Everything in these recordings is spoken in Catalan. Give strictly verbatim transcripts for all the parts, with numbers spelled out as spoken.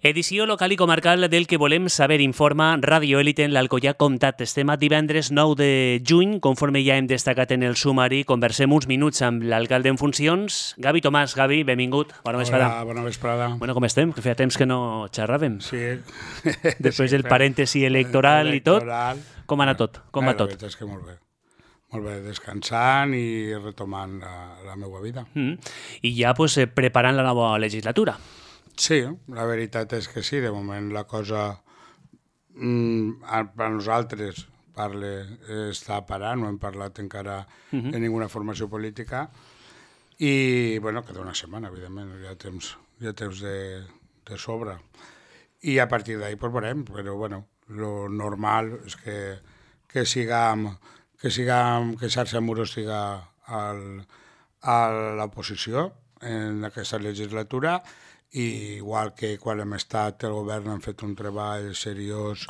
Edició local i comarcal del que volem saber informa Radio Élite en l'Alcoià Comtat. Estem a divendres nou de juny, conforme ja hem destacat en el sumari. Conversem uns minuts amb l'alcalde en funcions. Gavi Tomàs, Gavi, benvingut. Bona vesprada. Hola, bona vesprada. Bueno, com estem? Que feia temps que no xerràvem. Sí. Després del parèntesi electoral i tot. Com ha anat tot? Com va tot? La veritat és que molt bé. Molt bé, descansant i retomant la, la meva vida. Mm. I ja pues, preparant la nova legislatura. Sí, la veritat és que sí, de moment la cosa mmm, per a nosaltres parle, està parant, no hem parlat encara uh-huh. de ninguna formació política i, bueno, queda una setmana, evidentment, hi ha temps, hi ha temps de, de sobre. I a partir d'ahí pues, veurem, però, bueno, lo normal és que, que siguem, que siguem, que Xarxa Muro estiga al, a l'oposició en aquesta legislatura. I igual que quan hem estat el govern hem fet un treball seriós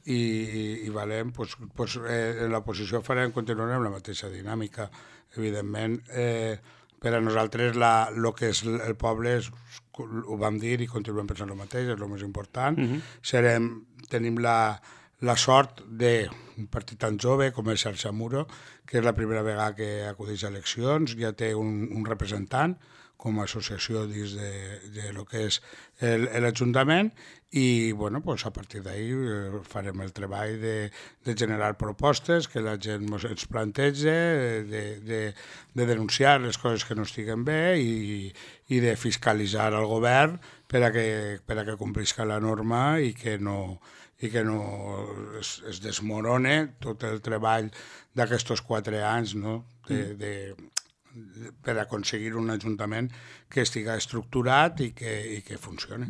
i, i, i valent, pues, pues, eh, en l'oposició farem, continuarem la mateixa dinàmica. Evidentment, eh, per a nosaltres el que és el poble és, ho vam dir i continuem pensant el mateix, és el més important. Uh-huh. Serem, tenim la, la sort d'un partit tan jove com és Xarxa Muro, que és la primera vegada que acudeix a eleccions, ja té un, un representant com a associació dins de, de lo que és l'Ajuntament i bueno, pues a partir d'ahí farem el treball de, de generar propostes que la gent ens planteja, de, de, de denunciar les coses que no estiguen bé i, i de fiscalitzar el govern per a que, per a que complisca la norma i que no, i que no es, es desmorone tot el treball d'aquests quatre anys, no? de, de per aconseguir un ajuntament que estiga estructurat i que, i que funcioni.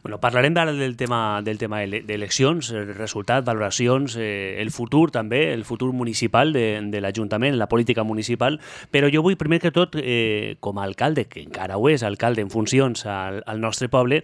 Bueno, parlarem ara del tema, del tema d'eleccions, el resultat, valoracions, eh, el futur també, el futur municipal de, de l'Ajuntament, la política municipal, però jo vull, primer que tot, eh, com a alcalde, que encara ho és, alcalde en funcions al, al nostre poble,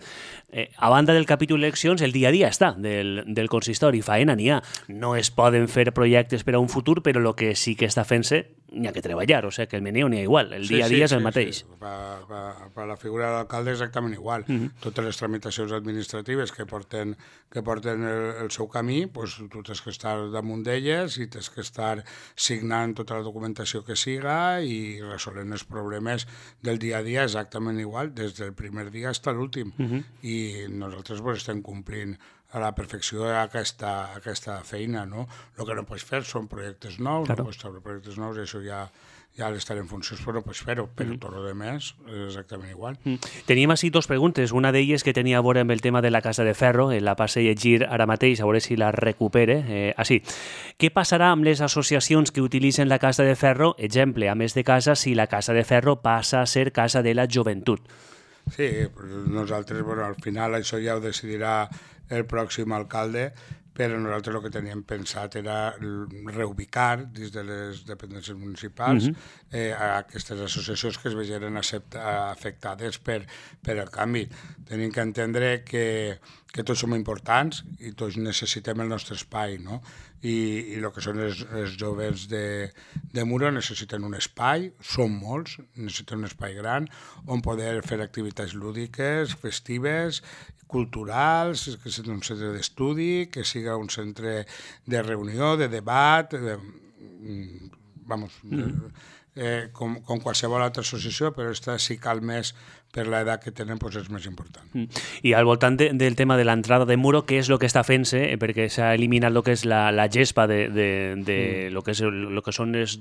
eh, a banda del capítol eleccions, el dia a dia està del, del consistori, faena n'hi ha. No es poden fer projectes per a un futur, però el que sí que està fent-se n'hi ha que treballar, o sigui que el meneo n'hi ha igual, el dia a dia sí, sí, és el sí, mateix. Sí. Per, per, per la figura de l'alcalde exactament igual. Uh-huh. Totes les tramitacions administratives que porten, que porten el, el seu camí, pues, tu tens que estar damunt d'elles i tens que estar signant tota la documentació que siga i resolent els problemes del dia a dia exactament igual, des del primer dia fins a l'últim. Uh-huh. I nosaltres pues, estem complint a la perfecció aquesta, aquesta feina, no? El que no pots fer són projectes nous, claro. No pots treure projectes nous, i això ja, ja l'estaré en funcions, però no pots fer-ho, però mm. tot el demés és exactament igual. Mm. Teníem així dos preguntes, una d'elles que tenia a veure amb el tema de la Casa de Ferro, la passe a llegir ara mateix, a veure si la recupere. Eh, així, què passarà amb les associacions que utilitzen la Casa de Ferro, exemple, a més de casa, si la Casa de Ferro passa a ser Casa de la Joventut? Sí, nosaltres, bueno, al final això ja ho decidirà el pròxim alcalde, però nosaltres el que teníem pensat era reubicar dins de les dependències municipals uh-huh. eh, a aquestes associacions que es vegeren afectades per, per el canvi. Tenim que entendre que, que tots som importants i tots necessitem el nostre espai, no? I, i el que són els, els joves de, de Muro necessiten un espai, són molts, necessiten un espai gran on poder fer activitats lúdiques, festives, culturals, que sigui un centre d'estudi, que siga un centre de reunió, de debat, de, vamos, mm. eh, com, com qualsevol altra associació, però esta sí cal més per l'edat que tenen, doncs és més important. Mm. I al voltant de, del tema de l'entrada de Muro, què és el que està fent-se? Perquè s'ha eliminat el que és la, la gespa de, de, de mm. lo, que és, lo que són les,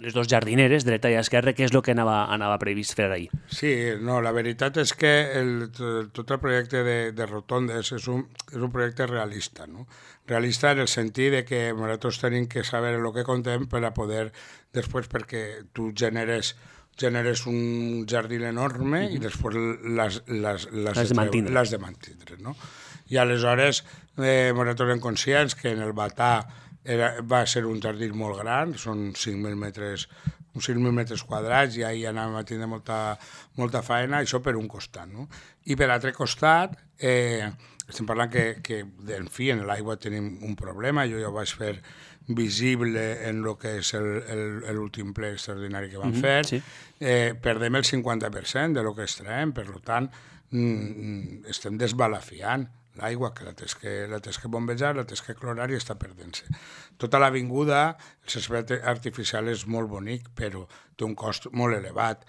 les dos jardineres, dreta i esquerra, què és el que anava, anava previst fer ahir? Sí, no, la veritat és que el, tot el projecte de, de rotondes és un, és un projecte realista, no? Realista en el sentit de que nosaltres tenim que saber el que contem per a poder, després, perquè tu generes generes un jardí enorme uh-huh. i després les, les, les, les de mantindre. Les de mantindre, no? I aleshores eh, nosaltres som conscients que en el Batà era, va ser un jardí molt gran, són cinc mil metres, uns cinc mil metres quadrats, i ahir anàvem a tindre molta, molta feina, això per un costat, no? I per l'altre costat, eh, estem parlant que, que en fi, en l'aigua tenim un problema, jo ja ho vaig fer visible en el que és l'últim ple extraordinari que vam mm-hmm, fer, sí. eh, perdem el cinquanta per cent de lo que extraem, per tant, mm, estem desbalafiant l'aigua, que la tens que, la tens que bombejar, la tens que clorar i està perdent-se. Tota l'avinguda, el césped artificial és molt bonic, però té un cost molt elevat.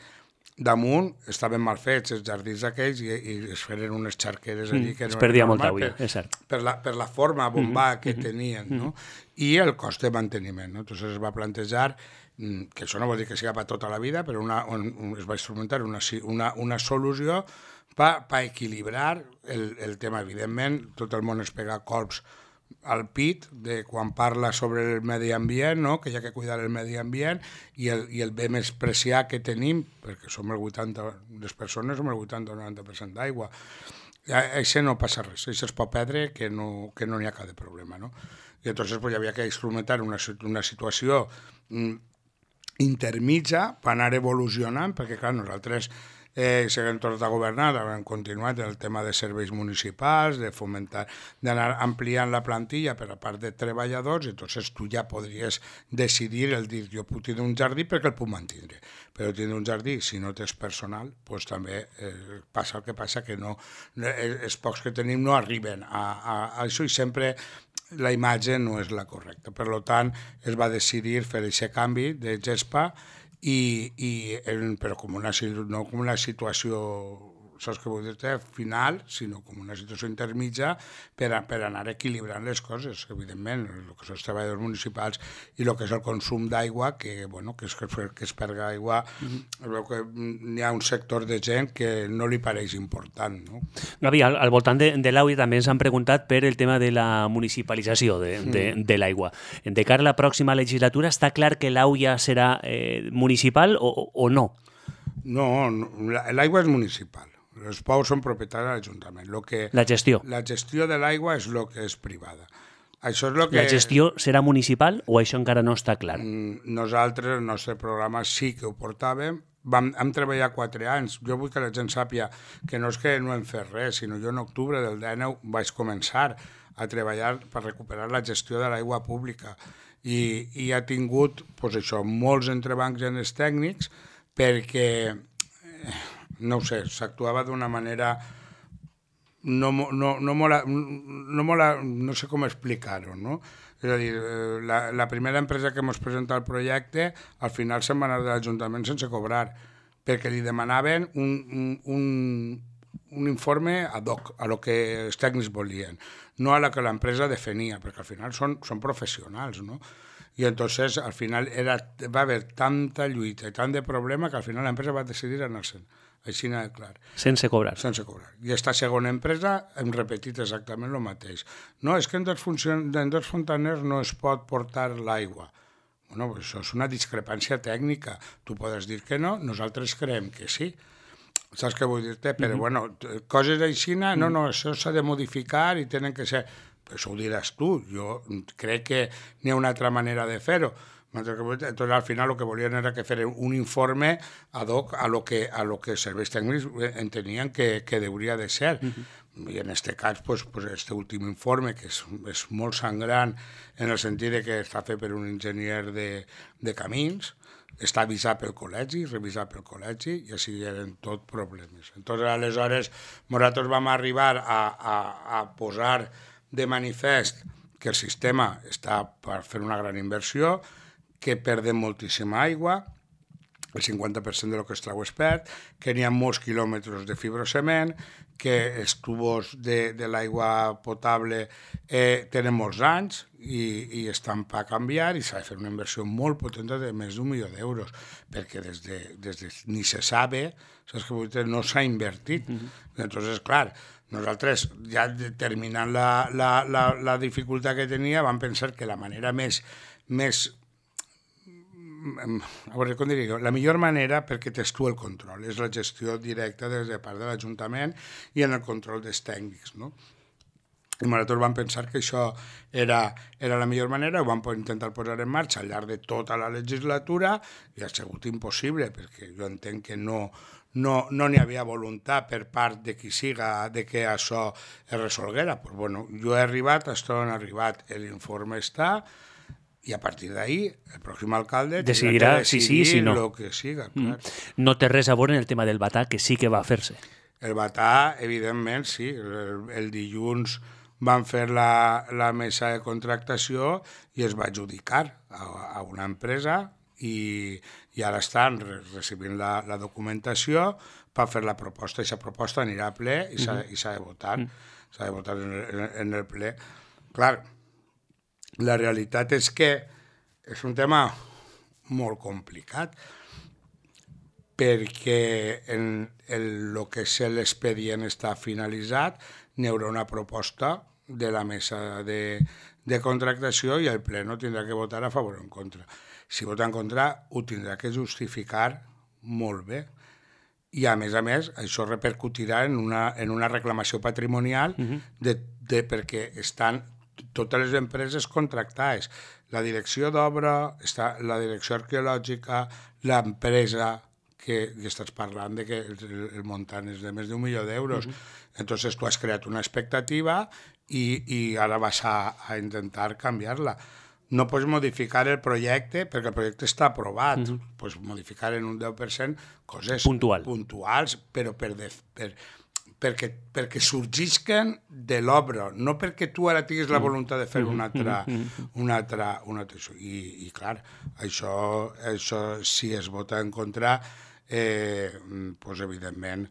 Damunt estaven mal fets els jardins aquells i, i es feren unes xarqueres allí mm, que no es perdia molta aigua, és cert. Per la, per la forma bombà mm-hmm. que tenien, no? I el cost de manteniment. No? Entonces es va plantejar, que això no vol dir que sigui per tota la vida, però una, un, es va instrumentar una, una, una solució per pa equilibrar el, el tema. Evidentment, tot el món es pega colps al pit de quan parla sobre el medi ambient, no? Que hi ha que cuidar el medi ambient i el, i el bé més preciat que tenim, perquè som el vuitanta, les persones som el vuitanta o noranta per cent d'aigua. Això no passa res, això es pot perdre que no que no n'hi ha cap de problema, no? I llavors pues, hi havia que instrumentar una, una situació mm, intermitja per anar evolucionant, perquè clar, nosaltres Eh, si haguem tornat a governar, hem continuat el tema de serveis municipals, de fomentar, d'anar ampliant la plantilla per a part de treballadors, i entonces tu ja podries decidir el dir, jo puc tindre un jardí perquè el puc mantenir, però tindre un jardí, si no tens personal, pues també eh, passa el que passa, que no, eh, els pocs que tenim no arriben a, a, a això i sempre la imatge no és la correcta. Per tant, es va decidir fer aquest canvi de gespa I, i però com una, no com una situació, saps què vull dir-te, final, sinó com una situació intermitja per, a, per anar equilibrant les coses, evidentment, el que són els treballadors municipals i el que és el consum d'aigua, que, bueno, que, és, que es perga aigua, mm-hmm. veu que hi ha un sector de gent que no li pareix important. No? Gavi, al, al voltant de, de l'aigua també ens han preguntat per el tema de la municipalització de, de, mm. de l'aigua. De cara a la pròxima legislatura, està clar que l'aigua serà eh, municipal o, o no? No, no l'aigua és municipal. Els pous són propietats de l'Ajuntament. Lo que, la gestió. La gestió de l'aigua és el que és privada. Això és lo que... La gestió serà municipal o això encara no està clar? Nosaltres, el nostre programa sí que ho portàvem. Vam, hem treballat quatre anys. Jo vull que la gent sàpia que no és que no hem fet res, sinó jo en octubre del dinou vaig començar a treballar per recuperar la gestió de l'aigua pública. I, i ha tingut, pues això, molts entrebancs en els tècnics perquè... Eh, no ho sé, s'actuava d'una manera no, no, no, molt, no, molt, no sé com explicar-ho, no? És a dir, la, la primera empresa que ens presenta el projecte al final se'n va anar de l'Ajuntament sense cobrar, perquè li demanaven un, un, un informe ad hoc a lo que els tècnics volien, no a la que l'empresa defenia, perquè al final són, són professionals, no? I entonces al final era, va haver tanta lluita i tant de problema que al final l'empresa va decidir anar-se'n. Així n'ha de clar. Sense cobrar. Sense cobrar. I aquesta segona empresa hem repetit exactament el mateix. No, és que en dos, funcion... en dos fontaners no es pot portar l'aigua. Bueno, pues això és una discrepància tècnica. Tu podes dir que no, nosaltres creiem que sí. Saps què vull dir-te? Però, mm-hmm. bueno, coses així, no, no, això s'ha de modificar i tenen que ser... Això ho diràs tu. Jo crec que n'hi ha una altra manera de fer-ho. Entonces, al final lo que volien era que fer un informe ad hoc a lo que, a lo que els serveis tècnics entenien que, que hauria de ser. Uh-huh. I en aquest cas, pues, pues, este últim informe, que és, és molt sangrant en el sentit de que està fet per un enginyer de, de camins, està avisat pel col·legi, revisat pel col·legi, i així eren tot problemes. Entonces, aleshores, nosaltres vam arribar a, a, a posar de manifest que el sistema està per fer una gran inversió, que perdem moltíssima aigua, el cinquanta per cent de lo que es trau es perd, que n'hi ha molts quilòmetres de fibrocement, que els tubos de, de l'aigua potable eh, tenen molts anys i, i estan per canviar i s'ha de fer una inversió molt potent de més d'un milió d'euros, perquè des de, des de ni se sabe, saps que no s'ha invertit. Mm-hmm. Entonces, clar, nosaltres, ja determinant la, la, la, la dificultat que tenia, vam pensar que la manera més, més a veure, com diria, la millor manera perquè tens tu el control, és la gestió directa des de part de l'Ajuntament i en el control dels tècnics, no? I nosaltres vam pensar que això era, era la millor manera, ho vam intentar posar en marxa al llarg de tota la legislatura i ha sigut impossible, perquè jo entenc que no no no n'hi havia voluntat per part de qui siga de que això es resolguera. Pues bueno, jo he arribat, això on he arribat, l'informe està, i a partir d'ahí el pròxim alcalde decidirà si sí, si no. Lo que siga, clar. Mm. No té res a veure en el tema del batà, que sí que va fer-se. El Batà, evidentment, sí. El, el dilluns van fer la, la mesa de contractació i es va adjudicar a, a una empresa i, i ara estan re, recibint la, la documentació per fer la proposta. Aquesta proposta anirà a ple i s'ha uh-huh. de votar. Uh-huh. S'ha de votar en el, en el ple. Clar, la realitat és que és un tema molt complicat perquè en el, el que és l'expedient està finalitzat, n'hi haurà una proposta de la mesa de, de contractació i el ple no tindrà que votar a favor o en contra. Si vota en contra, ho tindrà que justificar molt bé. I, a més a més, això repercutirà en una, en una reclamació patrimonial uh-huh. de, de, perquè estan totes les empreses contractades. La direcció d'obra, està la direcció arqueològica, l'empresa, que, que estàs parlant de que el, el muntant és de més d'un milió d'euros. Uh-huh. Entonces tu has creat una expectativa i, i ara vas a, a intentar canviar-la. No pots modificar el projecte perquè el projecte està aprovat. Uh-huh. Pots modificar en un deu per cent coses Puntual. puntuals, però per, de, per, perquè, perquè sorgisquen de l'obra, no perquè tu ara tinguis la voluntat de fer uh-huh. una altra... Uh-huh. Una altra, una altra I, I, clar, això, això si es vota en contra, eh, pues, evidentment,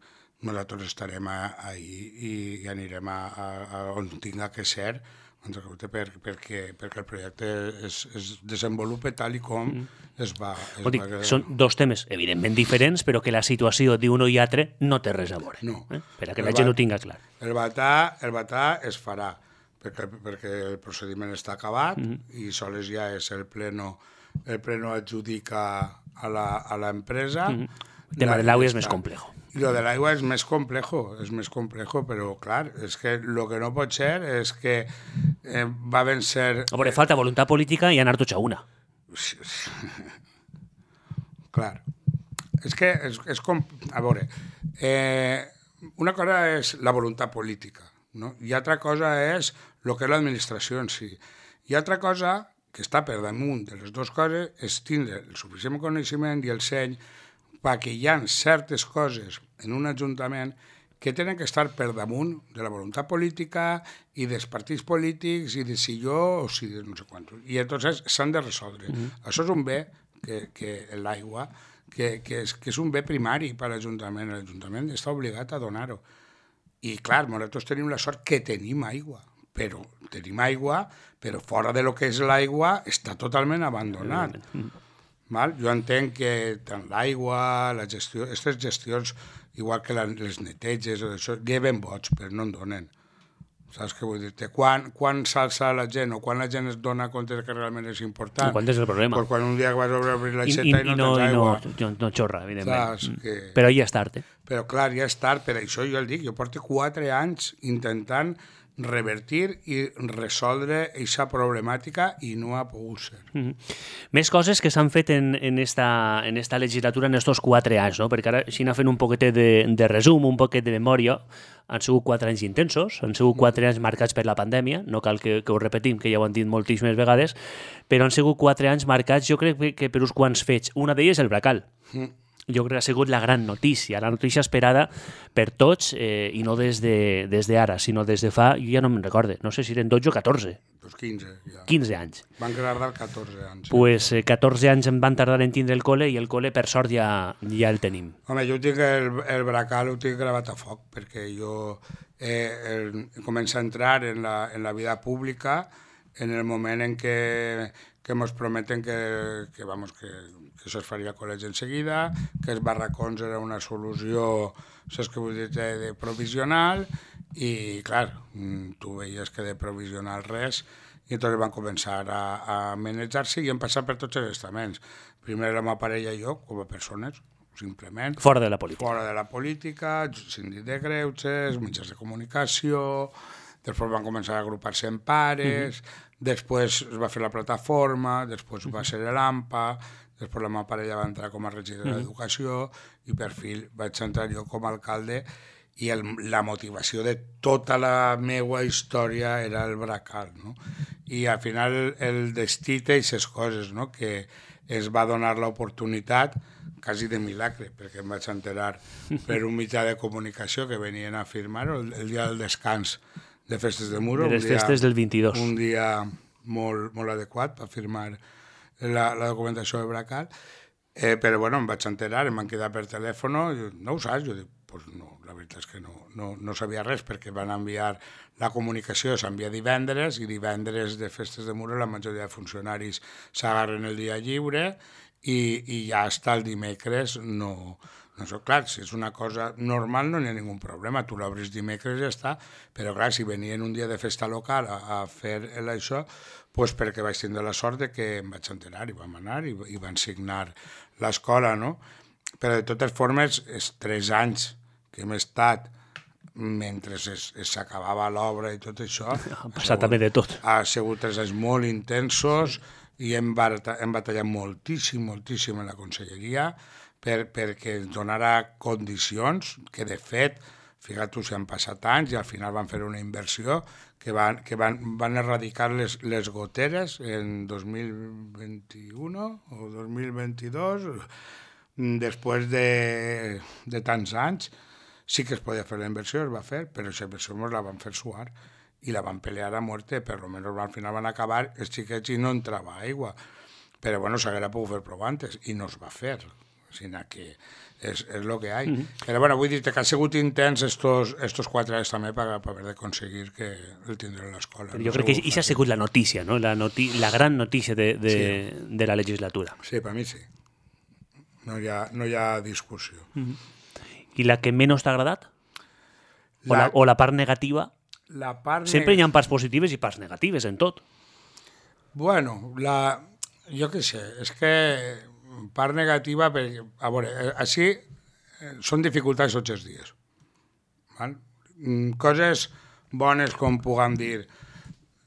nosaltres estarem ahí i, i anirem a, a, a on tinga que ser, per, perquè, perquè el projecte es, es desenvolupa tal i com mm. es va... Es dic, va... Són dos temes evidentment diferents, però que la situació d'un o i altre no té res a veure, no. eh? Per a que el la gent ho tinga clar. El Batà, el Batà es farà, perquè, perquè el procediment està acabat mm. i sols ja és el pleno, el pleno adjudica a l'empresa. Mm. El tema de l'aigua és més complejo. I lo de l'aigua és més complejo, és més complejo, però clar, és que el que no pot ser és que eh, va vencer... A veure, falta voluntat política i anar tots a una. Clar, és que és, és com... A veure, eh, una cosa és la voluntat política, no? I altra cosa és el que és l'administració en si. I altra cosa, que està per damunt de les dues coses, és tindre el suficient coneixement i el seny perquè hi ha certes coses en un ajuntament que tenen que estar per damunt de la voluntat política i dels partits polítics i de si jo o si de no sé quantos. I entonces s'han de resoldre. Mm-hmm. Això és un bé, que, que l'aigua, que, que, és, que és un bé primari per a l'Ajuntament. L'Ajuntament està obligat a donar-ho. I clar, nosaltres tenim la sort que tenim aigua, però tenim aigua, però fora de lo que és l'aigua està totalment abandonat. Mm-hmm. Val? Jo entenc que tant l'aigua, la gestió, aquestes gestions, igual que la, les neteges, o això, lleven vots, però no en donen. Saps què vull dir-te? Quan, quan s'alça la gent o quan la gent es dona compte que realment és important? Quan és el problema? Pues quan un dia vas a obrir l'aixeta i, i, i, i no tens aigua. I no, no xorra, evidentment. Saps que... Però ja és tard, eh? Però clar, ja és tard, per això jo el dic, jo porto quatre anys intentant revertir i resoldre aquesta problemàtica i no ha pogut ser. Mm-hmm. Més coses que s'han fet en, en, esta, en esta legislatura en estos quatre anys, no? Perquè ara, si anar fent un poquet de, de resum, un poquet de memòria, han sigut quatre anys intensos, han sigut quatre anys marcats per la pandèmia, no cal que, que ho repetim, que ja ho han dit moltíssimes vegades, però han sigut quatre anys marcats, jo crec que per uns quants fets. Una d'elles el Bracal. Mm. Jo crec que ha sigut la gran notícia, la notícia esperada per tots, eh, i no des de, des d'ara, sinó des de fa, jo ja no me'n recorde, no sé si eren dotze o catorze. Pues quinze, ja. quinze anys. Van tardar catorze anys. Pues eh, catorze anys em van tardar en tindre el col·le i el col·le, per sort, ja, ja el tenim. Home, jo tinc el, el Bracal, ho tinc gravat a foc, perquè jo eh, el, començo a entrar en la, en la vida pública en el moment en què que ens prometen que, que, vamos, que, que això es faria a col·legi en seguida, que els barracons era una solució, saps què vull dir, de, de provisional, i clar, tu veies que de provisional res, i entonces van començar a, a manejar-se i han passat per tots els estaments. Primer la meva parella i jo, com a persones, simplement. Fora de la política. Fora de la política, síndic de greuges, mitjans de comunicació, després van començar a agrupar-se en pares, uh-huh. Després es va fer la plataforma, després uh-huh. va ser l'AMPA, després la meva parella va entrar com a regidora uh-huh. d'Educació i per fi vaig entrar jo com a alcalde i el, la motivació de tota la meva història era el Bracal, no? I al final el, el destí té aquestes coses, no? Que es va donar l'oportunitat quasi de milagre, perquè em vaig enterar per un mitjà de comunicació que venien a firmar-ho el, el dia del descans de Festes de Muro. De les dia, festes del vint-i-dos. Un dia molt, molt adequat per firmar la, la documentació de Bracal. Eh, però bueno, em vaig enterar, em van quedar per telèfon, no ho saps? Jo dic, pues no, la veritat és que no, no, no sabia res, perquè van enviar la comunicació, s'envia divendres, i divendres de Festes de Muro la majoria de funcionaris s'agarren el dia lliure, i, i ja hasta el dimecres no... No sé, clar, si és una cosa normal no n'hi ha ningú problema, tu l'obres dimecres i ja està, però clar, si venien un dia de festa local a, a fer això, doncs perquè vaig tindre la sort de que em vaig enterar i vam anar i, i van signar l'escola, no? Però de totes formes, els tres anys que hem estat mentre s'acabava l'obra i tot això... Ha passat també de tot. Ha sigut tres anys molt intensos i hem, bata, hem batallat moltíssim, moltíssim en la conselleria per, perquè ens donara condicions que, de fet, fíjate, si han passat anys i al final van fer una inversió que van, que van, van erradicar les, les goteres en dos mil vint-i-u o dos mil vint-i-dos, després de, de tants anys. Sí que es podia fer la inversió, es va fer, però aquesta inversió ens la van fer suar i la van pelear a muerte, per almenys al final van acabar els xiquets i no entrava aigua. Però bueno, s'haguera pogut fer prou antes i no es va fer, sinó que és, és el que hi ha. Mm -hmm. Però bueno, vull dir que han sigut intents estos, estos quatre anys també per, per haver d'aconseguir que el tindré a l'escola. Jo no crec que això ha sigut la notícia, no? la, noti la gran notícia de, de, sí. de la legislatura. Sí, per mi sí. No hi ha, no hi ha discussió. Mm-hmm. I la que menys t'ha agradat? La... O, la, o la part negativa? La part Sempre hi ha parts positives i parts negatives en tot. Bueno, la... jo què sé, és que part negativa, perquè, a veure, així són dificultats tots els dies. Val? Coses bones, com puguem dir,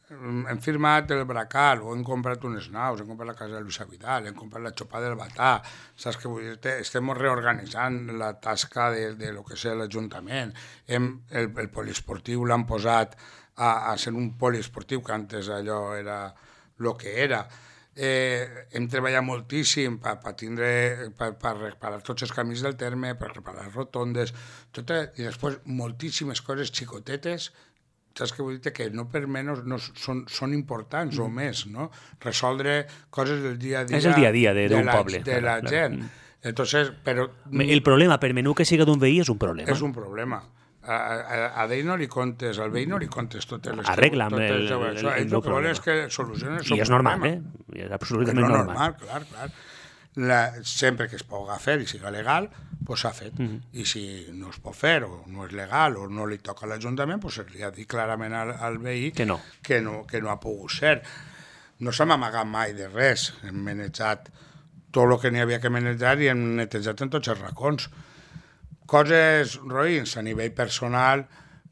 hem firmat el Bracal, o hem comprat unes naus, hem comprat la casa de Luisa Vidal, hem comprat la xopa del Batà, saps què vull dir? Estem reorganitzant la tasca de, de lo que és l'Ajuntament. El, el poliesportiu l'han posat a, a ser un poliesportiu, que antes allò era el que era. Eh, hem treballat moltíssim per, per, tindre, per, per reparar tots els camins del terme, per reparar les rotondes, tot, i després moltíssimes coses xicotetes, saps què vull dir? Que no per menys no, són, són importants mm. o més, no? Resoldre coses del dia a dia. És el dia a dia d'un poble. De la clar, gent. Clar. Entonces, però... El problema, per menú que siga d'un veí, és un problema. És un problema. A, a, a d'ell no li contes, al veí no li contes totes les... Arregla'm el, el, el, el, el, el problema. És que solucionen el I és normal, eh? I és absolutament és normal. normal. Clar, clar. La, sempre que es pugui fer i siga legal, pues s'ha fet. Mm -hmm. I si no es pot fer, o no és legal, o no li toca a l'Ajuntament, pues se li ha dit clarament al, al veí que no. Que, no, que no ha pogut ser. No s'hem amagat mai de res. Hem manejat tot el que n'hi havia que manejar i hem netejat en tots els racons. Coses roïns a nivell personal,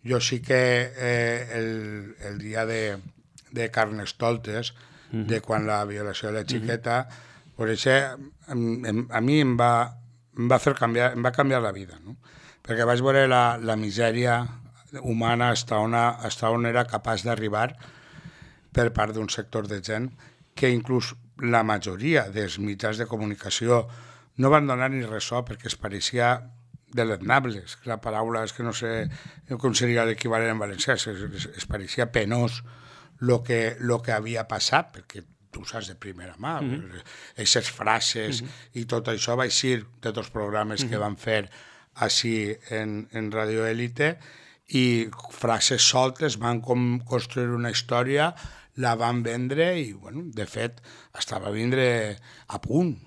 jo sí que eh, el, el dia de, de Carnestoltes, mm -hmm. de quan la violació de la xiqueta, mm -hmm. per això a mi em va, em va fer canviar, em va canviar la vida, no? Perquè vaig veure la, la misèria humana hasta on, hasta on era capaç d'arribar per part d'un sector de gent que inclús la majoria dels mitjans de comunicació no van donar ni ressò perquè es pareixia deleznables, la paraula és que no sé com seria l'equivalent en valencià, es, es, es pareixia penós el que, lo que havia passat, perquè tu saps de primera mà, aquestes mm -hmm. frases mm -hmm. i tot això va eixir de tots els programes mm -hmm. que van fer així en, en Radio Élite, i frases soltes van com construir una història, la van vendre i, bueno, de fet, estava a vindre a punt.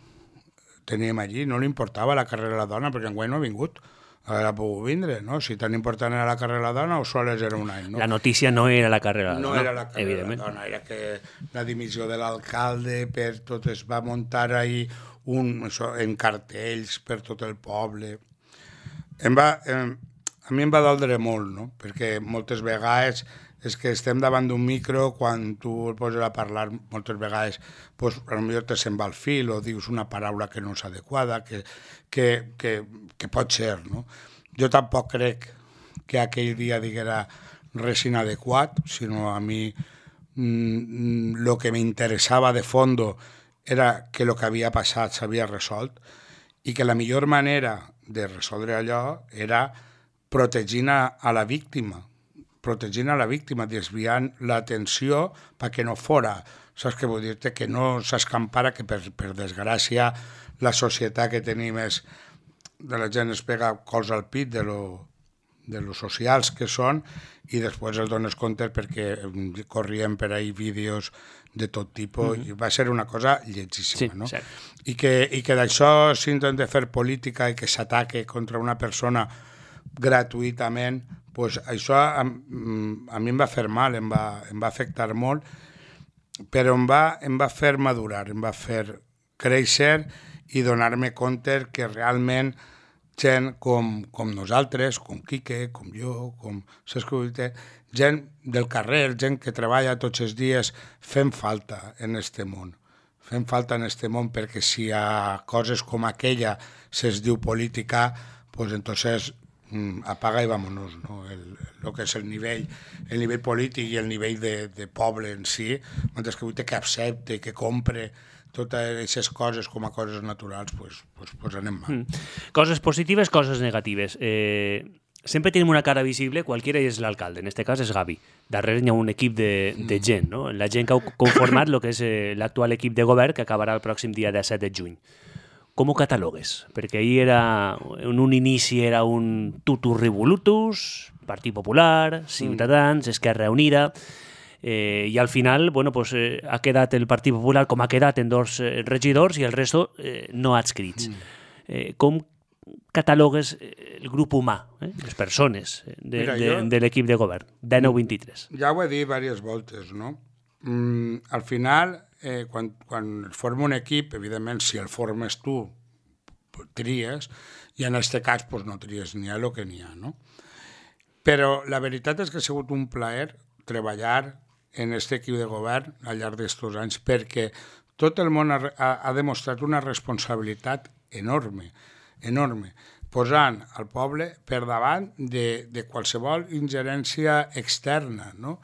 Teníem allí, no li importava la carrera de la dona, perquè enguany no ha vingut, ha pogut vindre, no? Si tan important era la carrera de la dona o sols era un any, no? La notícia no era la carrera de la dona. No era la carrera de la dona, era que la dimissió de l'alcalde per tot, es va muntar ahí un, això, en cartells per tot el poble. Em va, em, a mi em va doldre molt, no? Perquè moltes vegades és que estem davant d'un micro, quan tu el poses a parlar moltes vegades, pues, potser te se'n va el fil o dius una paraula que no és adequada, que, que, que, que pot ser, no? Jo tampoc crec que aquell dia diguera res inadequat, sinó a mi mmm, lo que m'interessava de fondo era que el que havia passat s'havia resolt i que la millor manera de resoldre allò era protegint a, a la víctima, protegint a la víctima, desviant l'atenció perquè no fora, saps què vull dir-te? Que no s'escampara, que per, per desgràcia la societat que tenim és de la gent es pega cols al pit de lo, de lo socials que són i després els dones compte perquè corrien per ahí vídeos de tot tipus, mm-hmm. i va ser una cosa lletjíssima, sí, no? Cert. I que, i que d'això s'intenta fer política i que s'ataque contra una persona gratuïtament, pues això a, a mi em va fer mal, em va, em va afectar molt, però em va, em va fer madurar, em va fer créixer i donar-me compte que realment gent com, com nosaltres, com Quique, com jo, com gent del carrer, gent que treballa tots els dies, fem falta en este món. Fem falta en este món perquè si a coses com aquella se'ls diu política, pues entonces mm, apaga i vámonos, no? El, el que és el nivell, el nivell polític i el nivell de, de poble en si, mentre que vull que accepte, que compre totes aquestes coses com a coses naturals, pues, pues, pues anem mal. Mm. Coses positives, coses negatives. Eh, sempre tenim una cara visible, qualquiera és l'alcalde, en este cas és Gavi. Darrere hi ha un equip de, de gent, no? La gent que ha conformat el que és eh, l'actual equip de govern que acabarà el pròxim dia disset de juny. Com ho catalogues? Perquè ahir era, en un inici era un tutus revolutus, Partit Popular, Ciutadans, mm. Esquerra Unida, eh, i al final bueno, pues, eh, ha quedat el Partit Popular com ha quedat en dos eh, regidors i el resto eh, no adscrits. Mm. Eh, com catalogues el grup humà, eh, les persones de, Mira, de, jo, de l'equip de govern, dinou vint-i-tres? Ja ho he dit diverses voltes, no? Mm, al final, eh, quan, quan es forma un equip, evidentment, si el formes tu, tries, i en aquest cas pues, no tries ni a lo que n'hi ha, no? Però la veritat és que ha sigut un plaer treballar en aquest equip de govern al llarg d'estos anys perquè tot el món ha, ha, ha demostrat una responsabilitat enorme, enorme, posant el poble per davant de, de qualsevol ingerència externa, no?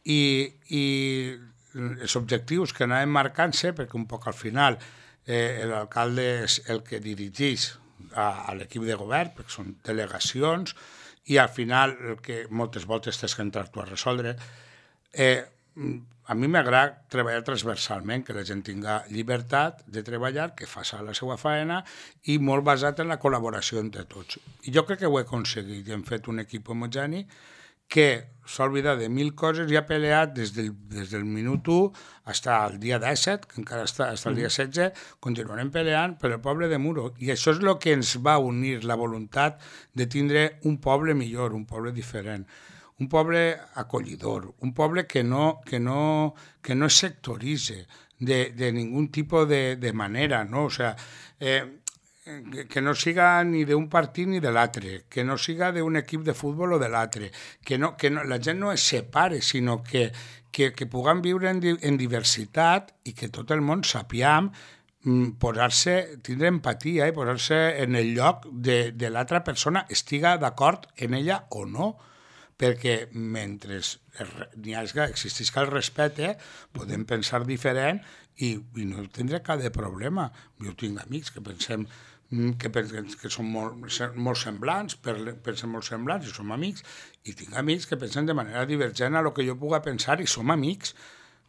I, i els objectius que anàvem marcant-se, perquè un poc al final eh, l'alcalde és el que dirigeix a, a l'equip de govern, perquè són delegacions, i al final el que moltes voltes tens que entrar tu a resoldre. Eh, a mi m'agrada treballar transversalment, que la gent tinga llibertat de treballar, que faci la seva feina i molt basat en la col·laboració entre tots. I jo crec que ho he aconseguit i hem fet un equip homogeni que s'ha oblidat de mil coses i ha peleat des del, des del minut u fins al dia disset, que encara està, fins al dia setze, continuarem peleant per el poble de Muro. I això és el que ens va unir, la voluntat de tindre un poble millor, un poble diferent, un poble acollidor, un poble que no, que no, que no es sectoritze de, de ningú tipus de, de manera, no? O sea, eh, que no siga ni d'un partit ni de l'altre, que no siga d'un equip de futbol o de l'altre, que, no, que no, la gent no es separe, sinó que, que, que puguem viure en, di, en diversitat i que tot el món sapiem mm, posar-se, tindre empatia i posar-se en el lloc de, de l'altra persona, estiga d'acord en ella o no, perquè mentre n'hi hagi, existeix el respecte, podem pensar diferent i, i no tindré cap de problema. Jo tinc amics que pensem que, que són molt, molt semblants, pensem molt semblants i som amics, i tinc amics que pensen de manera divergent a lo que jo puga pensar i som amics,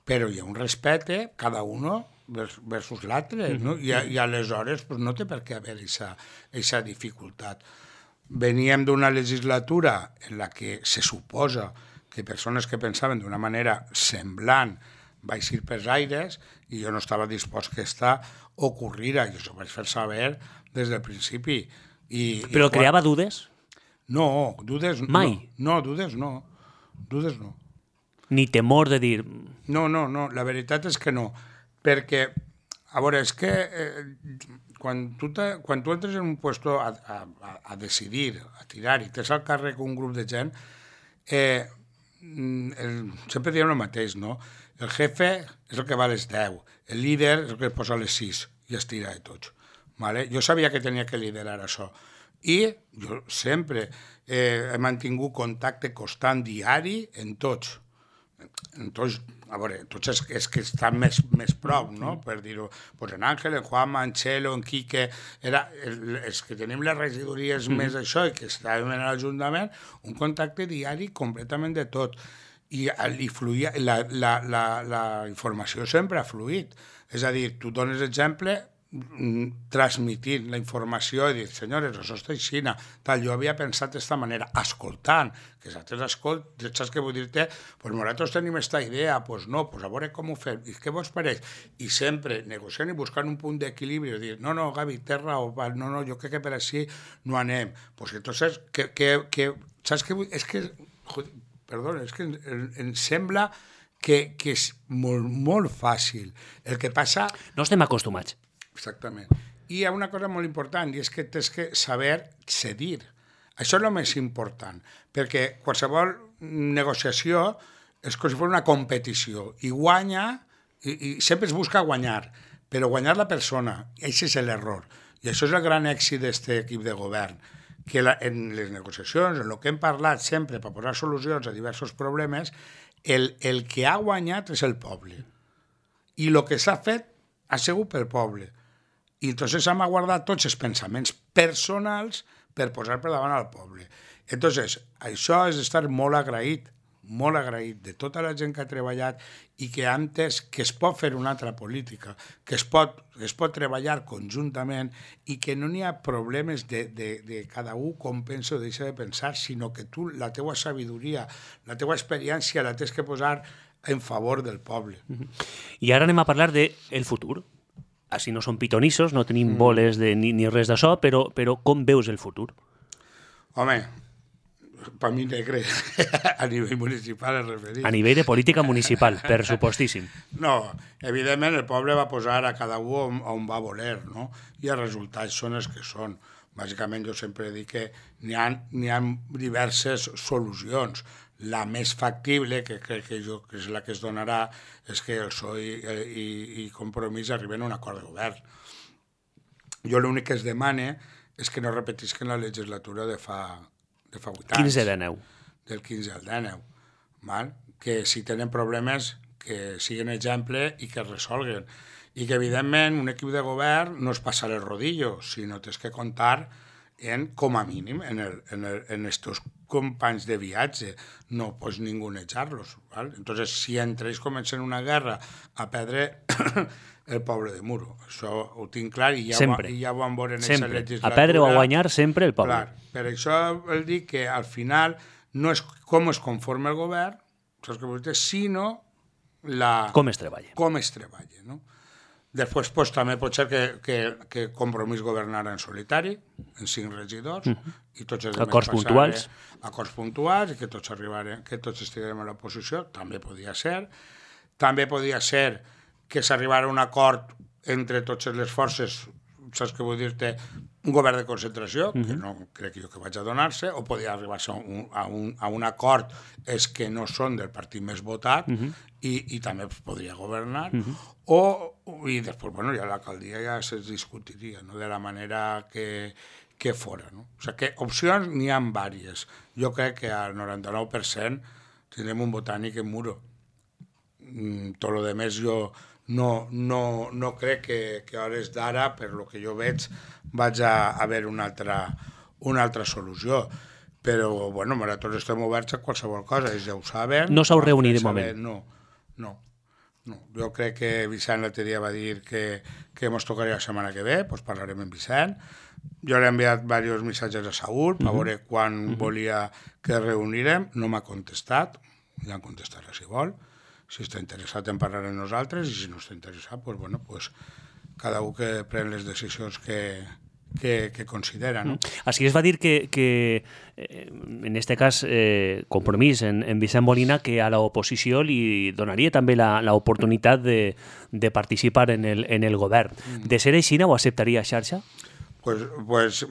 però hi ha un respecte, cada uno versus l'altre, no? I, i aleshores pues, no té per què haver aquesta dificultat. Veníem d'una legislatura en la que se suposa que persones que pensaven d'una manera semblant vaig ir pels aires i jo no estava dispost que aquesta ocorrira, i això ho vaig fer saber des del principi. I, Però i creava quan... dudes? No, dudes Mai? No, no, dudes no. Dudes no. Ni temor de dir... No, no, no, la veritat és que no. Perquè, a veure, és que eh, quan, tu te, quan tu entres en un puesto a, a, a decidir, a tirar, i tens al càrrec un grup de gent, eh, el, sempre diem el mateix, no? El jefe és el que va a les deu, el líder és el que posa a les sis i es tira de tots. Vale? Jo sabia que tenia que liderar això. I jo sempre eh, he mantingut contacte constant diari en tots. Entonces, a veure, tots els, els que estan més, més prop, no? Per dir-ho, pues en Àngel, en Juanma, en Txelo, en Quique, era el, els que tenim les regidories mm. més això i que estàvem en l'Ajuntament, un contacte diari completament de tot. I, i fluïa, la, la, la, la informació sempre ha fluït. És a dir, tu dones exemple transmitint la informació i dir, senyores, això està així, tal, jo havia pensat d'esta manera, escoltant, que nosaltres escolt, saps què vull dir-te? Pues nosaltres tenim aquesta idea, pues no, pues a veure com ho fem, i què vos pareix? I sempre negociant i buscant un punt d'equilibri, i dir, no, no, Gavi, té raó, no, no, jo crec que per així no anem. Pues entonces, que, que, que, saps què vull? És que, joder, perdona, és que em, em sembla que, que és molt, molt fàcil. El que passa... No estem acostumats. Exactament. I hi ha una cosa molt important, i és que tens que saber cedir. Això és el més important, perquè qualsevol negociació és com si fos una competició, i guanya, i, i sempre es busca guanyar, però guanyar la persona, i això és l'error. I això és el gran èxit d'aquest equip de govern, que la, en les negociacions, en el que hem parlat sempre per posar solucions a diversos problemes, el, el que ha guanyat és el poble. I el que s'ha fet ha sigut pel poble. I entonces hem guardat tots els pensaments personals per posar per davant al poble. Entonces, això és d'estar molt agraït, molt agraït de tota la gent que ha treballat i que ha entès que es pot fer una altra política, que es pot, es pot treballar conjuntament i que no n'hi ha problemes de, de, de cada un com pensa o deixa de pensar, sinó que tu, la teua sabidoria, la teua experiència la tens que posar en favor del poble. I ara anem a parlar del futur. Així no som pitonissos, no tenim boles de, ni, ni res d'això, però, però com veus el futur? Home, per mi negre, a nivell municipal es refereix. A nivell de política municipal, per supostíssim. No, evidentment el poble va posar a cada un on, on va voler, no? I els resultats són els que són. Bàsicament jo sempre dic que n'hi ha, n'hi ha diverses solucions. La més factible, que crec que, jo, que és la que es donarà, és que el P S O E i, i, i Compromís arriben a un acord de govern. Jo l'únic que es demane és que no repetisquen la legislatura de fa, de fa vuit anys. quinze de neu. Del quinze al dinou. Val? Que si tenen problemes, que siguin exemple i que es resolguen. I que, evidentment, un equip de govern no es passar el rodillo, sinó tens que comptar en, com a mínim, en, el, en, el, en estos companys de viatge, no pots ningunejar-los. ¿Vale? Entonces, si entre ells comencen una guerra a perdre el poble de Muro. Això ho tinc clar i ja, ho, i ja ho van veure en aquesta legislatura. A perdre o a guanyar sempre el poble. Clar, per això vol dir que al final no és com es conforma el govern, saps què vull dir, sinó la... com es treballa. Com es treballa, no? Després, pues, també pot ser que, que, que Compromís governara en solitari, en cinc regidors, mm-hmm. i tots els acords puntuals. Acords puntuals, i que tots arribaren, que tots estiguem a l'oposició, també podia ser. També podia ser que s'arribara a un acord entre totes les forces, saps què vull dir-te, un govern de concentració, mm-hmm. que no crec jo que vaig a donar-se, o podia arribar-se a un, a, un, a un acord és que no són del partit més votat, mm-hmm. i, i també podria governar, mm-hmm. o, i després, bueno, ja l'alcaldia ja se discutiria, no?, de la manera que, que fora, no? O sigui que opcions n'hi ha diverses. Jo crec que al noranta-nou per cent tindrem un botànic en Muro. Mm, tot el demés jo no, no, no crec que, que a hores d'ara, per lo que jo veig, vaig a haver una altra, una altra solució. Però, bueno, nosaltres estem oberts a qualsevol cosa, ells ja ho saben. No s'heu reunit de moment? No, no, no. Jo crec que Vicent l'altre dia va dir que, que ens tocaria la setmana que ve, doncs parlarem amb Vicent. Jo l'he enviat diversos missatges a Saúl per veure quan uh-huh. volia que reunirem, no m'ha contestat, ja em contestarà si vol. Si està interessat en parlar amb nosaltres, i si no està interessat, pues, bueno, pues, cada un que pren les decisions que, que, que considera, no? Així es va dir que, que eh, en este cas, eh, Compromís en, en Vicent Molina, que a l'oposició li donaria també l'oportunitat de, de participar en el, en el govern. Mm. De ser així, ho acceptaria xarxa? Pues, pues,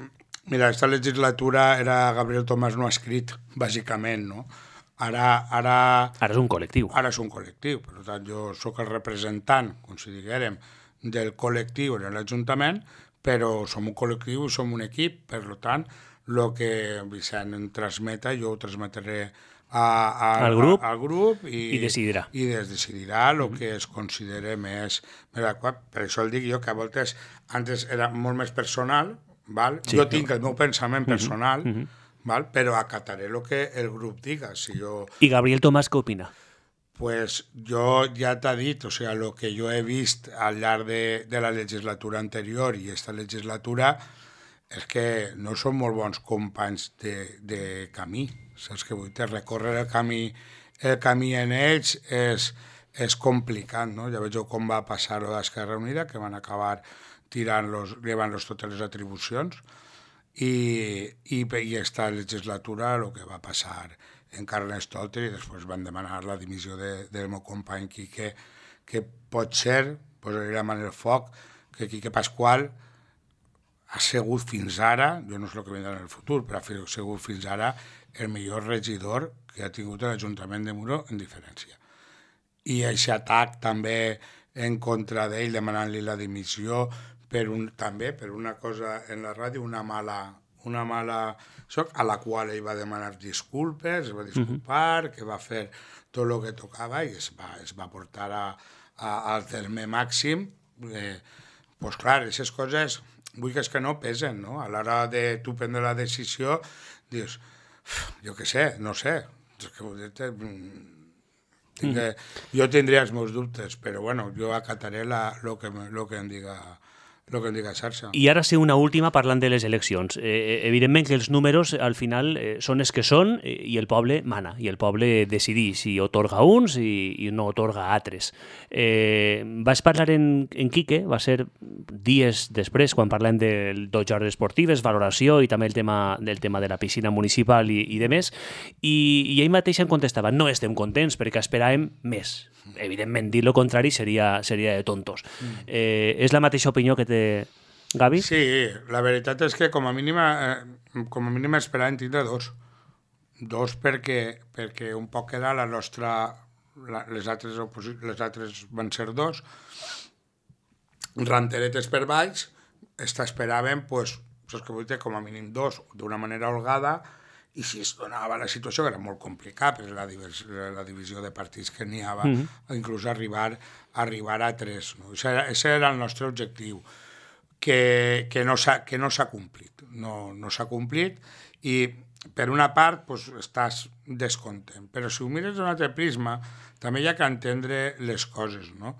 mira, esta legislatura era Gabriel Tomàs no escrit, bàsicament, no? Ara, ara... Ara és un col·lectiu. Ara és un col·lectiu. Per tant, jo sóc el representant, com si diguérem, del col·lectiu en l'Ajuntament, però som un col·lectiu i som un equip. Per tant, el que Vicent em transmeta, jo ho transmetré a, a, al grup, a, al grup i, i decidirà. I es decidirà el mm-hmm. que es considere més, més adequat. Per això el dic jo, que a voltes antes era molt més personal, val? Sí, jo tinc el meu pensament personal, mm-hmm. val? Però acataré el que el grup diga. Si jo... I Gabriel Tomàs què opina? Pues jo ja t'he dit, o sea, el que jo he vist al llarg de, de la legislatura anterior i esta legislatura és que no són molt bons companys de, de camí. Saps què vull dir? Recórrer el camí, el camí en ells és, és complicat, no? Ja veig com va passar-ho d'Esquerra Unida, que van acabar tirant-los, llevant-los totes les atribucions, i, i, i esta legislatura el que va passar en Carnestoltes, i després van demanar la dimissió de, del meu company Quique, que pot ser, posaré la mà en el foc, que Quique Pasqual ha sigut fins ara, jo no sé el que vindrà en el futur, però ha sigut fins ara el millor regidor que ha tingut l'Ajuntament de Muro en diferència. I aquest atac també en contra d'ell, demanant-li la dimissió, per un, també per una cosa en la ràdio, una mala, una mala soc, a la qual ell va demanar disculpes, es va disculpar, uh-huh. que va fer tot el que tocava i es va, es va portar a, a, al terme màxim. Eh, pues clar, aquestes coses vull que és que no pesen, no? A l'hora de tu prendre la decisió, dius, jo què sé, no sé, és que dir-te, tinc que, jo tindria els meus dubtes, però bueno, jo acataré el que, lo que em diga el que em diga xarxa. I ara sí, una última parlant de les eleccions. Eh, evidentment que els números al final eh, són els que són eh, i el poble mana, i el poble decideix si otorga uns i, i no otorga altres. Eh, vas parlar en, en Quique, va ser dies després, quan parlem de dos jornades esportives, valoració i també el tema del tema de la piscina municipal i, i de més, i, i ell mateix em contestava, no estem contents perquè esperàvem més. Evidentment, dir el contrari seria, seria de tontos. Eh, és la mateixa opinió que té Gavi? Sí, la veritat és que com a mínim, eh, com a mínim esperàvem tindre dos. Dos perquè, perquè un poc era la nostra... La, les, altres les altres van ser dos. Ranteretes per baix, esta esperàvem, pues, saps que vull dir, com a mínim dos, d'una manera holgada, i si es donava la situació, que era molt complicat, per la, la divisió de partits que n'hi havia, mm-hmm. inclús arribar, arribar a tres. No? Aquest era el nostre objectiu, que, que no s'ha que no s'ha complit. No, no s'ha complit, i per una part pues, estàs descontent. Però si ho mires d'un altre prisma, també hi ha que entendre les coses, no?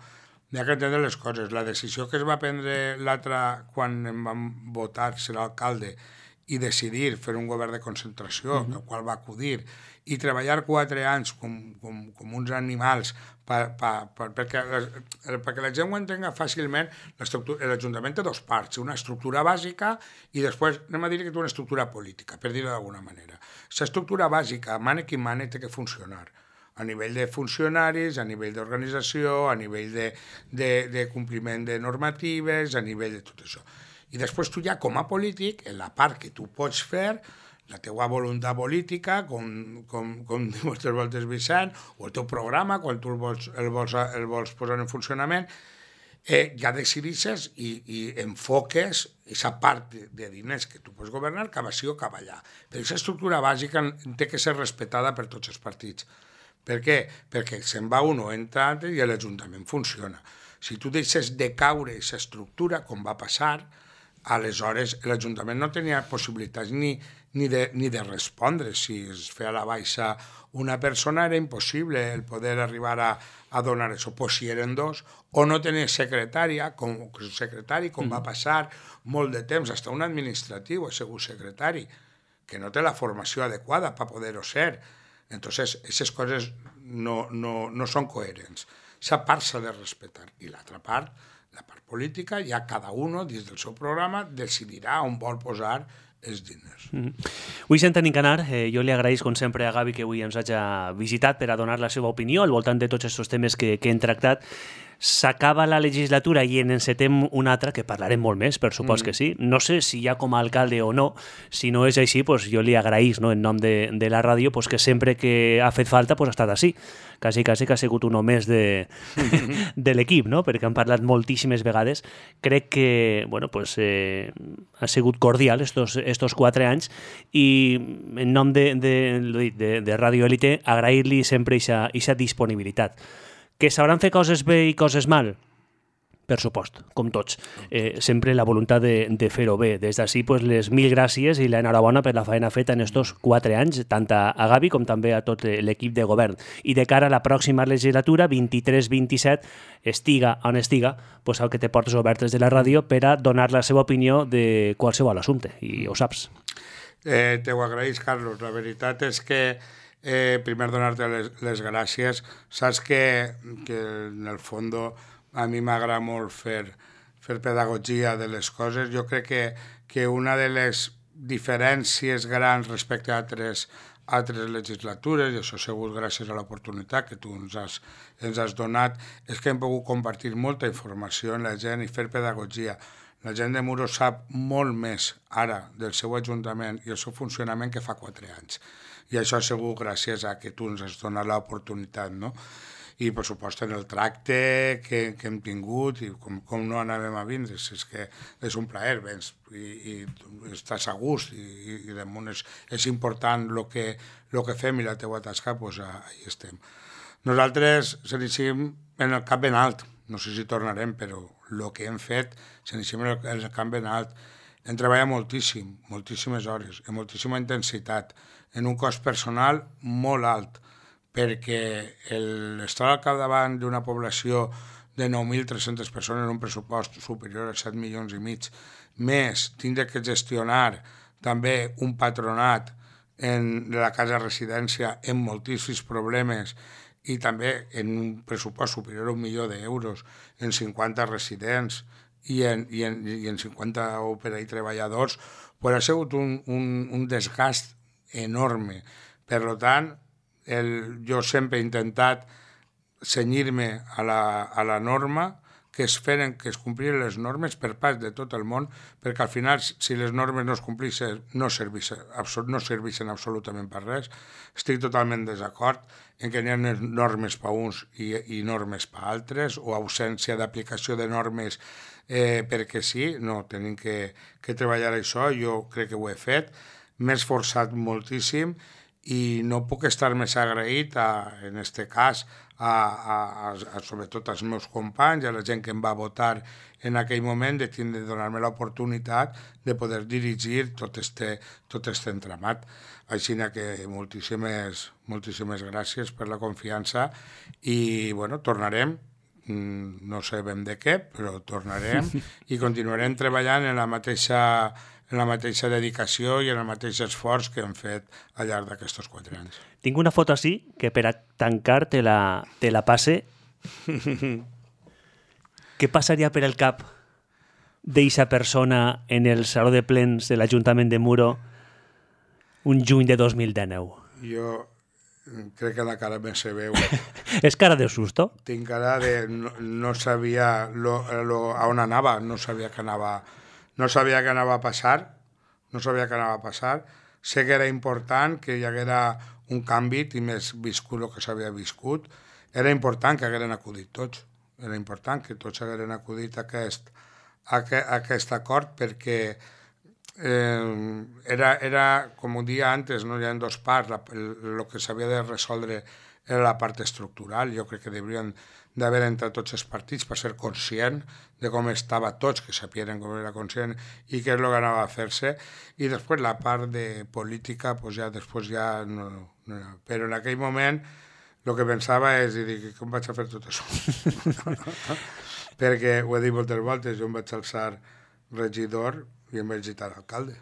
Hi ha que entendre les coses. La decisió que es va prendre l'altra, quan em van votar ser alcalde, i decidir fer un govern de concentració, mm-hmm. el qual va acudir, i treballar quatre anys com, com, com uns animals pa, pa, pa, perquè, perquè la gent ho entenga fàcilment. L'Ajuntament té dos parts, una estructura bàsica i després anem a dir que té una estructura política, per dir-ho d'alguna manera. L'estructura bàsica, mane qui mane, té que funcionar a nivell de funcionaris, a nivell d'organització, a nivell de, de, de compliment de normatives, a nivell de tot això. I després tu ja, com a polític, en la part que tu pots fer, la teua voluntat política, com, com, com diu moltes voltes Vicent, o el teu programa, quan tu el vols, el vols, el vols posar en funcionament, eh, ja decidixes i, i enfoques aquesta part de, de diners que tu pots governar cap així o cap allà. Però aquesta estructura bàsica té que ser respetada per tots els partits. Per què? Perquè se'n va un o entra altre i l'Ajuntament funciona. Si tu deixes de caure aquesta estructura, com va passar, aleshores l'Ajuntament no tenia possibilitats ni, ni, de, ni de respondre. Si es feia a la baixa una persona era impossible el poder arribar a, a donar això. Pues si eren dos, o no tenia secretària, com, secretari, com mm. va passar molt de temps, fins un administratiu ha sigut secretari, que no té la formació adequada per poder-ho ser. Entonces, aquestes coses no, no, no són coherents. Aquesta part s'ha de respectar. I l'altra part, la part política, ja cada un, dins del seu programa, decidirà on vol posar els diners. Mm-hmm. Avui sent en Canar, eh, jo li agraïs, com sempre, a Gavi que avui ens hagi visitat per a donar la seva opinió al voltant de tots aquests temes que, que hem tractat. s'acaba la legislatura i en encetem una altra, que parlarem molt més, per supost mm. que sí. No sé si ja com a alcalde o no. Si no és així, pues, jo li agraïs, no, en nom de, de la ràdio, pues, que sempre que ha fet falta pues, ha estat així. Quasi, quasi que ha sigut un home de, de l'equip, no? Perquè han parlat moltíssimes vegades. Crec que bueno, pues, eh, ha sigut cordial estos, estos quatre anys i en nom de, de, de, de Ràdio Élite agrair-li sempre aquesta disponibilitat. Que sabran fer coses bé i coses mal? Per supost, com tots. Eh, sempre la voluntat de, de fer-ho bé. Des d'ací, pues, les mil gràcies i l'enhorabona per la feina feta en estos quatre anys, tant a Gavi com també a tot l'equip de govern. I de cara a la pròxima legislatura, vint-i-tres vint-i-set, estiga on estiga, pues, el que té portes obertes de la ràdio per a donar la seva opinió de qualsevol assumpte, i ho saps. Eh, te ho agraïs, Carlos. La veritat és que Eh, primer donar-te les, les gràcies. Saps que, que en el fons a mi m'agrada molt fer, fer pedagogia de les coses. Jo crec que, que una de les diferències grans respecte a altres, altres legislatures, i això ha sigut gràcies a l'oportunitat que tu ens has, ens has donat, és que hem pogut compartir molta informació amb la gent i fer pedagogia. La gent de Muro sap molt més ara del seu ajuntament i el seu funcionament que fa quatre anys. I això ha sigut gràcies a que tu ens has donat l'oportunitat, no? I, per supost, en el tracte que, que hem tingut i com, com no anàvem a vindre, és que és un plaer, vens i, i estàs a gust i, i damunt és, és important el que, lo que fem i la teua tasca, doncs ahí estem. Nosaltres s'aniciem en el cap ben alt, no sé si tornarem, però el que hem fet s'aniciem en el, en el cap ben alt. Hem treballat moltíssim, moltíssimes hores, amb moltíssima intensitat, en un cost personal molt alt, perquè el, estar al capdavant d'una població de nou mil tres-centes persones en un pressupost superior a set milions i mig, més tindre que gestionar també un patronat en la casa residència amb moltíssims problemes i també en un pressupost superior a un milió d'euros, en cinquanta residents i en, i en, i en cinquanta òpera i treballadors, pues ha sigut un, un, un desgast enorme. Per tant, el, jo sempre he intentat cenyir-me a la, a la norma, que es feren, que es compliren les normes per part de tot el món, perquè al final, si les normes no es complixen, no serveixen, no serveixen absolutament per res. Estic totalment desacord en que hi ha normes per uns i, i normes per altres, o ausència d'aplicació de normes eh, perquè sí. No, tenim que, que treballar això, jo crec que ho he fet, m'he esforçat moltíssim i no puc estar més agraït, a, en aquest cas, a, a, a, sobretot als meus companys, a la gent que em va votar en aquell moment, de, de donar-me l'oportunitat de poder dirigir tot este, tot este entramat. Així que moltíssimes, moltíssimes gràcies per la confiança i, bueno, tornarem, no sabem de què, però tornarem i continuarem treballant en la mateixa en la mateixa dedicació i en el mateix esforç que hem fet al llarg d'aquests quatre anys. Tinc una foto així que per a tancar te la, te la passe. Què passaria per el cap d'eixa persona en el saló de plens de l'Ajuntament de Muro un juny de dos mil dinou? Jo crec que la cara me se veu. És cara de susto? Tinc cara de... No, no sabia lo, lo, a on anava, no sabia que anava... No sabia què anava a passar, no sabia què anava a passar. Sé que era important que hi haguera un canvi i més viscut el que s'havia viscut. Era important que hagueren acudit tots. Era important que tots hagueren acudit a aquest, a aquest acord perquè eh, era, era, com ho dia antes, no hi ha dos parts, el que s'havia de resoldre era la part estructural. Jo crec que deurien d'haver entrat tots els partits per ser conscient de com estava tots, que sapien com era conscient i què és el que anava a fer-se. I després la part de política, pues ja després ja no, no. Però en aquell moment el que pensava és dir, com vaig a fer tot això? Perquè ho he dit moltes voltes, jo em vaig alçar regidor i em vaig gitar alcalde.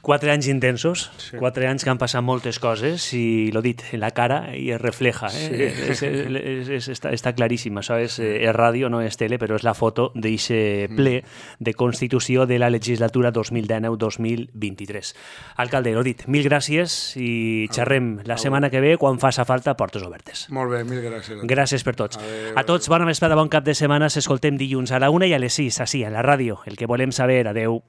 Quatre anys intensos, Sí. quatre anys que han passat moltes coses i, l'ho dit, en la cara i es refleja. Eh? Sí. És, és, és, està, està claríssim. Això és, eh, és ràdio, no és tele, però és la foto d'eixe ple de Constitució de la legislatura dos mil dinou dos mil vint-i-tres. Alcalde, l'ho dit, mil gràcies i xerrem la setmana que ve quan faça falta portes obertes. Molt bé, mil gràcies. Gràcies per tots. Adéu. A tots, bona vesprada, bon cap de setmana. S'escoltem dilluns a la una i a les sis, així, a la ràdio. El que volem saber. Adeu.